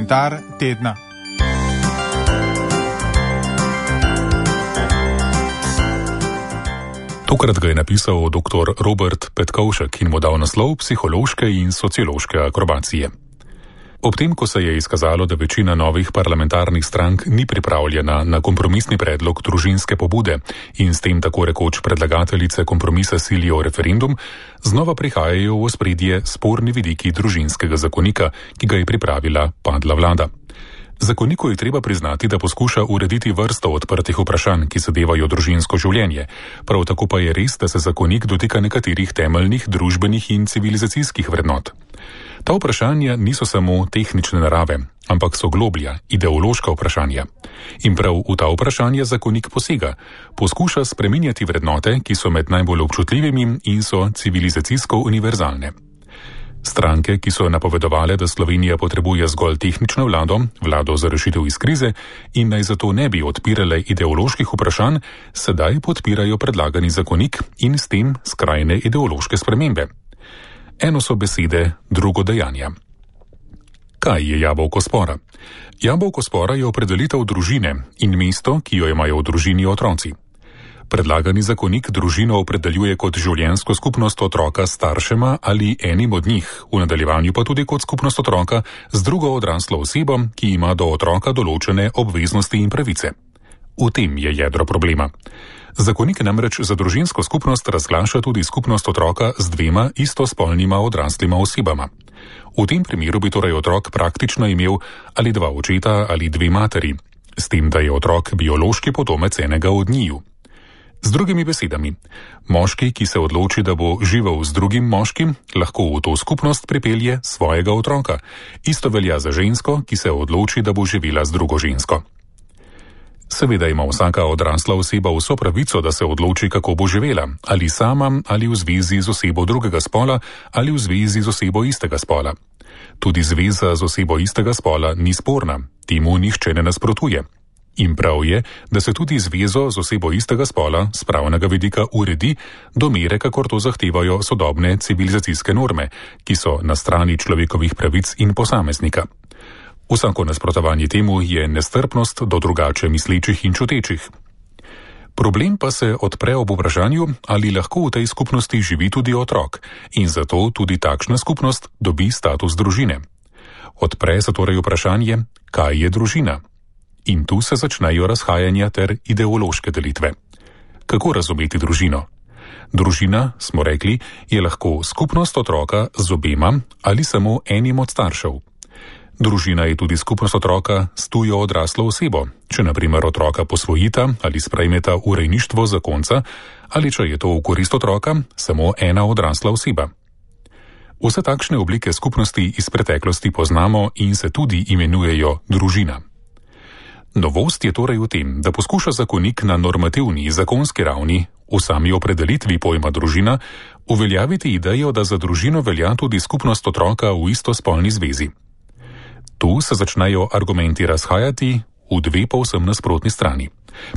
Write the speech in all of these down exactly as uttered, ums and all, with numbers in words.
Komentar tedna. Tokrat ga je napisal doktor Robert Petkovšek in mu dal naslov Psihološke in sociološke akrobacije. Ob tem, ko se je izkazalo, da večina novih parlamentarnih strank ni pripravljena na kompromisni predlog družinske pobude in s tem tako rekoč predlagateljice kompromisa silijo referendum, znova prihajajo v ospredje sporni vidiki družinskega zakonika, ki ga je pripravila padla vlada. Zakoniku je treba priznati, da poskuša urediti vrsto odprtih vprašanj, ki zadevajo družinsko življenje. Prav tako pa je res, da se zakonik dotika nekaterih temeljnih družbenih in civilizacijskih vrednot. Ta vprašanja niso samo tehnične narave, ampak so globlja, ideološka vprašanja. In prav v ta vprašanja zakonik posega, poskuša spreminjati vrednote, ki so med najbolj občutljivimi in so civilizacijsko univerzalne. Stranke, ki so napovedovale, da Slovenija potrebuje zgolj tehnično vlado, vlado za rešitev iz krize in naj zato ne bi odpirale ideoloških vprašanj, sedaj podpirajo predlagani zakonik in s tem skrajne ideološke spremembe. Eno so besede, drugo dejanja. Kaj je jabolko spora? Jabolko spora je opredelitev družine in mesto, ki jo imajo v družini otroci. Predlagani zakonik družino opredeljuje kot življenjsko skupnost otroka s staršema ali enim od njih, v nadaljevanju pa tudi kot skupnost otroka z drugo odraslo osebo, ki ima do otroka določene obveznosti in pravice. V tem je jedro problema. Zakonik namreč za družinsko skupnost razglaša tudi skupnost otroka z dvema istospolnima odraslima osebama. V tem primeru bi torej otrok praktično imel ali dva očeta ali dve materi, s tem, da je otrok biološki potomec enega od njiju. Z drugimi besedami, moški, ki se odloči, da bo živel z drugim moškim, lahko v to skupnost pripelje svojega otroka. Isto velja za žensko, ki se odloči, da bo živela z drugo žensko. Seveda ima vsaka odrasla oseba vso pravico, da se odloči, kako bo živela, ali sama, ali v zvezi z osebo drugega spola, ali v zvezi z osebo istega spola. Tudi zveza z osebo istega spola ni sporna, temu nihče ne nasprotuje. In prav je, da se tudi zvezo z osebo istega spola z pravnega vidika uredi do mere, kakor to zahtevajo sodobne civilizacijske norme, ki so na strani človekovih pravic in posameznika. Vsako nasprotovanje temu je nestrpnost do drugače mislečih in čutečih. Problem pa se odpre ob vprašanju, ali lahko v tej skupnosti živi tudi otrok in zato tudi takšna skupnost dobi status družine. Odpre se torej vprašanje, kaj je družina. In tu se začnejo razhajanja ter ideološke delitve. Kako razumeti družino? Družina, smo rekli, je lahko skupnost otroka z obema ali samo enim od staršev. Družina je tudi skupnost otroka s tujo odraslo osebo, če na primer otroka posvojita ali sprejmeta v rejništvo zakonca, ali če je to v korist otroka samo ena odrasla oseba. Vse takšne oblike skupnosti iz preteklosti poznamo in se tudi imenujejo družina. Novost je torej v tem, da poskuša zakonik na normativni zakonski ravni v sami opredelitvi pojma družina uveljaviti idejo, da za družino velja tudi skupnost otroka v istospolni zvezi. Tu se začnejo argumenti razhajati v dve povsem nasprotni strani.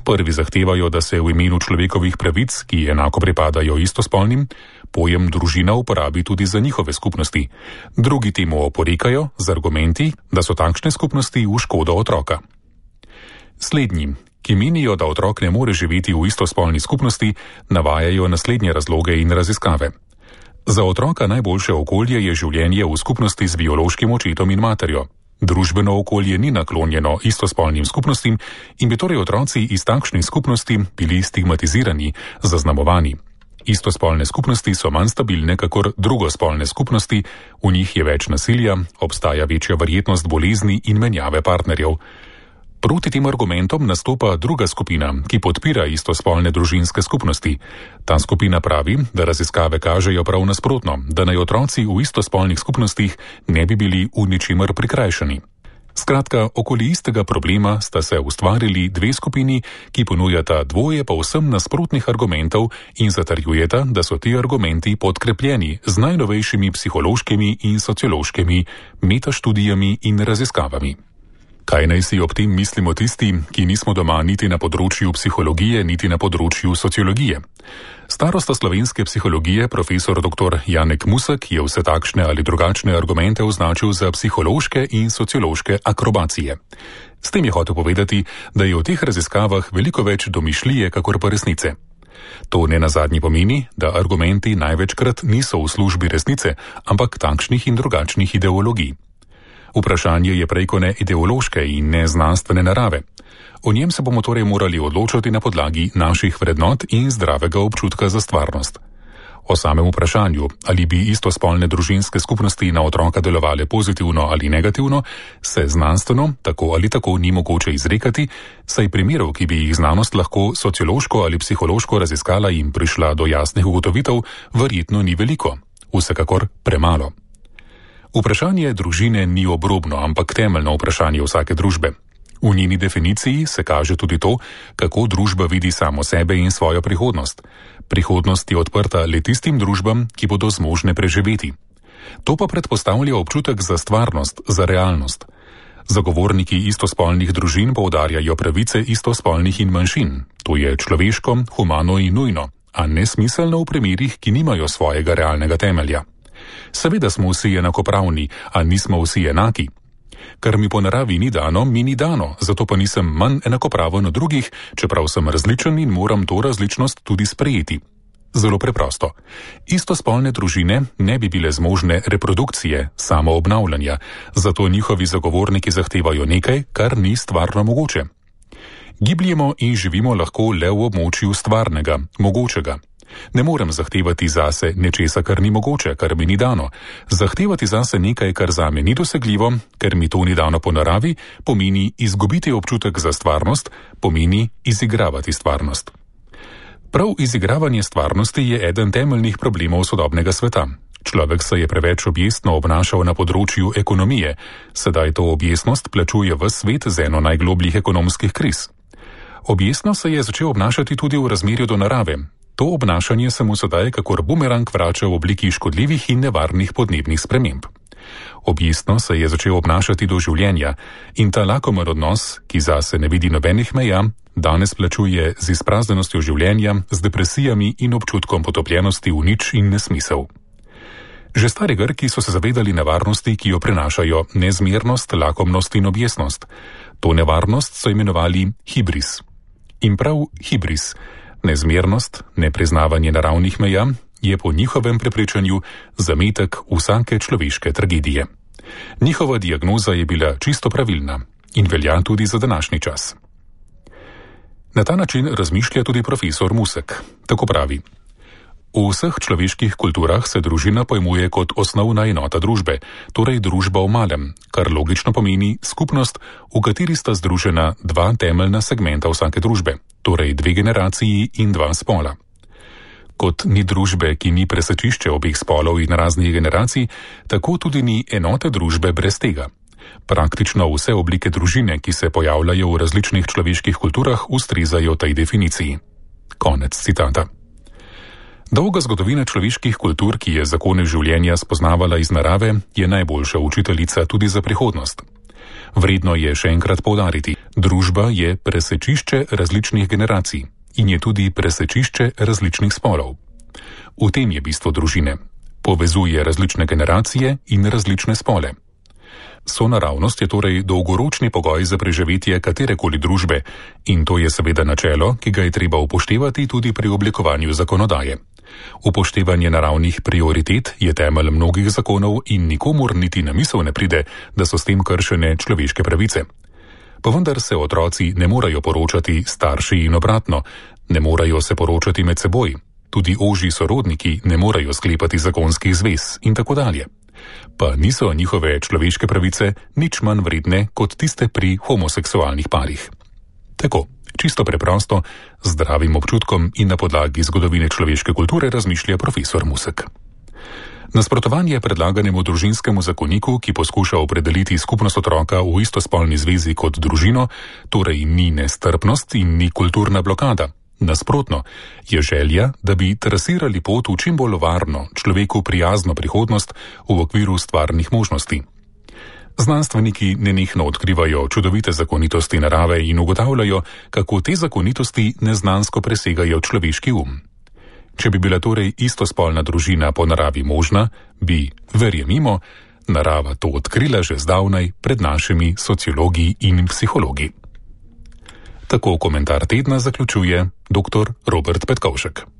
Prvi zahtevajo, da se v imenu človekovih pravic, ki enako pripadajo istospolnim, pojem družina uporabi tudi za njihove skupnosti. Drugi temu oporekajo z argumenti, da so takšne skupnosti v škodo otroka. Slednji, ki menijo, da otrok ne more živeti v istospolni skupnosti, navajajo naslednje razloge in raziskave. Za otroka najboljše okolje je življenje v skupnosti z biološkim očetom in materjo. Družbeno okolje ni naklonjeno istospolnim skupnostim in bi torej otroci iz takšnih skupnosti bili stigmatizirani, zaznamovani. Istospolne skupnosti so manj stabilne kakor drugospolne skupnosti, v njih je več nasilja, obstaja večja verjetnost bolezni in menjave partnerjev. Proti tem argumentom nastopa druga skupina, ki podpira istospolne družinske skupnosti. Ta skupina pravi, da raziskave kažejo prav nasprotno, da naj otroci v istospolnih skupnostih ne bi bili v ničemer prikrajšani. Skratka, okoli istega problema sta se ustvarili dve skupini, ki ponujata dvoje povsem nasprotnih argumentov in zatrjujeta, da so ti argumenti podkrepljeni z najnovejšimi psihološkimi in sociološkimi metaštudijami in raziskavami. Kaj naj si ob tem mislimo tisti, ki nismo doma niti na področju psihologije, niti na področju sociologije? Starosta slovenske psihologije, profesor doktor Janek Musek, je vse takšne ali drugačne argumente označil za psihološke in sociološke akrobacije. S tem je hotel povedati, da je v teh raziskavah veliko več domišljije, kakor pa resnice. To ne nazadnje pomeni, da argumenti največkrat niso v službi resnice, ampak takšnih in drugačnih ideologij. Vprašanje je prej kot ne ideološke in ne znanstvene narave. O njem se bomo torej morali odločati na podlagi naših vrednot in zdravega občutka za stvarnost. O samem vprašanju, ali bi istospolne družinske skupnosti na otroka delovale pozitivno ali negativno, se znanstveno tako ali tako ni mogoče izrekati, saj primerov, ki bi jih znanost lahko sociološko ali psihološko raziskala in prišla do jasnih ugotovitev, verjetno ni veliko, vsekakor premalo. Vprašanje družine ni obrobno, ampak temeljno vprašanje vsake družbe. V njeni definiciji se kaže tudi to, kako družba vidi samo sebe in svojo prihodnost. Prihodnost je odprta le tistim družbam, ki bodo zmožne preživeti. To pa predpostavlja občutek za stvarnost, za realnost. Zagovorniki istospolnih družin poudarjajo pravice istospolnih in manjšin. To je človeško, humano in nujno, a nesmiselno v primerih, ki nimajo svojega realnega temelja. Seveda smo vsi enakopravni, a nismo vsi enaki. Kar mi po naravi ni dano, mi ni dano, zato pa nisem manj enakopraven od drugih, čeprav sem različen in moram to različnost tudi sprejeti. Zelo preprosto. Istospolne družine ne bi bile zmožne reprodukcije, samoobnavljanja, zato njihovi zagovorniki zahtevajo nekaj, kar ni stvarno mogoče. Gibljemo in živimo lahko le v območju stvarnega, mogočega. Ne morem zahtevati zase nečesa, kar ni mogoče, kar mi ni dano. Zahtevati zase nekaj, kar zame ni dosegljivo, ker mi to ni dano po naravi, pomeni izgubiti občutek za stvarnost, pomeni izigravati stvarnost. Prav izigravanje stvarnosti je eden temeljnih problemov sodobnega sveta. Človek se je preveč objestno obnašal na področju ekonomije, sedaj to objestnost plačuje v svet z eno najglobljih ekonomskih kriz. Objestno se je začel obnašati tudi v razmerju do narave. To obnašanje se mu sedaj kakor bumerang vrača v obliki škodljivih in nevarnih podnebnih sprememb. Objestno se je začel obnašati do življenja in ta lakomer odnos, ki zase ne vidi nobenih meja, danes plačuje z izpraznjenostjo življenja, z depresijami in občutkom potopljenosti v nič in nesmisel. Že stari Grki so se zavedali nevarnosti, ki jo prenašajo nezmernost, lakomnost in objestnost. To nevarnost so imenovali hibris. In prav hibris, nezmernost, nepriznavanje naravnih meja, je po njihovem prepričanju zametek vsake človeške tragedije. Njihova diagnoza je bila čisto pravilna in velja tudi za današnji čas. Na ta način razmišlja tudi profesor Musek. Tako pravi: v vseh človeških kulturah se družina pojmuje kot osnovna enota družbe, torej družba v malem, kar logično pomeni skupnost, v kateri sta združena dva temeljna segmenta vsake družbe, torej dve generaciji in dva spola. Kot ni družbe, ki ni presečišče obeh spolov in raznih generacij, tako tudi ni enote družbe brez tega. Praktično vse oblike družine, ki se pojavljajo v različnih človeških kulturah, ustrezajo tej definiciji. Konec citata. Dolga zgodovina človeških kultur, ki je zakone življenja spoznavala iz narave, je najboljša učiteljica tudi za prihodnost. Vredno je še enkrat poudariti, družba je presečišče različnih generacij in je tudi presečišče različnih spolov. V tem je bistvo družine. Povezuje različne generacije in različne spole. Sonaravnost je torej dolgoročni pogoj za preživetje katerekoli družbe in to je seveda načelo, ki ga je treba upoštevati tudi pri oblikovanju zakonodaje. Upoštevanje naravnih prioritet je temelj mnogih zakonov in nikomur niti na misel ne pride, da so s tem kršene človeške pravice. Pa vendar se otroci ne morejo poročati starši in obratno, ne morejo se poročati med seboj, tudi ožji sorodniki ne morejo sklepati zakonskih zvez in tako dalje. Pa niso njihove človeške pravice nič manj vredne kot tiste pri homoseksualnih parih. Tako, čisto preprosto, z zdravim občutkom in na podlagi zgodovine človeške kulture razmišlja profesor Musek. Nasprotovanje predlaganemu družinskemu zakoniku, ki poskuša opredeliti skupnost otroka v istospolni zvezi kot družino, torej ni nestrpnost in ni kulturna blokada. Nasprotno, je želja, da bi trasirali pot v čim bolj varno, človeku prijazno prihodnost v okviru stvarnih možnosti. Znanstveniki nenehno odkrivajo čudovite zakonitosti narave in ugotavljajo, kako te zakonitosti neznansko presegajo človeški um. Če bi bila torej istospolna družina po naravi možna, bi, verjemimo, narava to odkrila že zdavnaj pred našimi sociologi in psihologi. Tako komentar tedna zaključuje doktor Robert Petkovšek.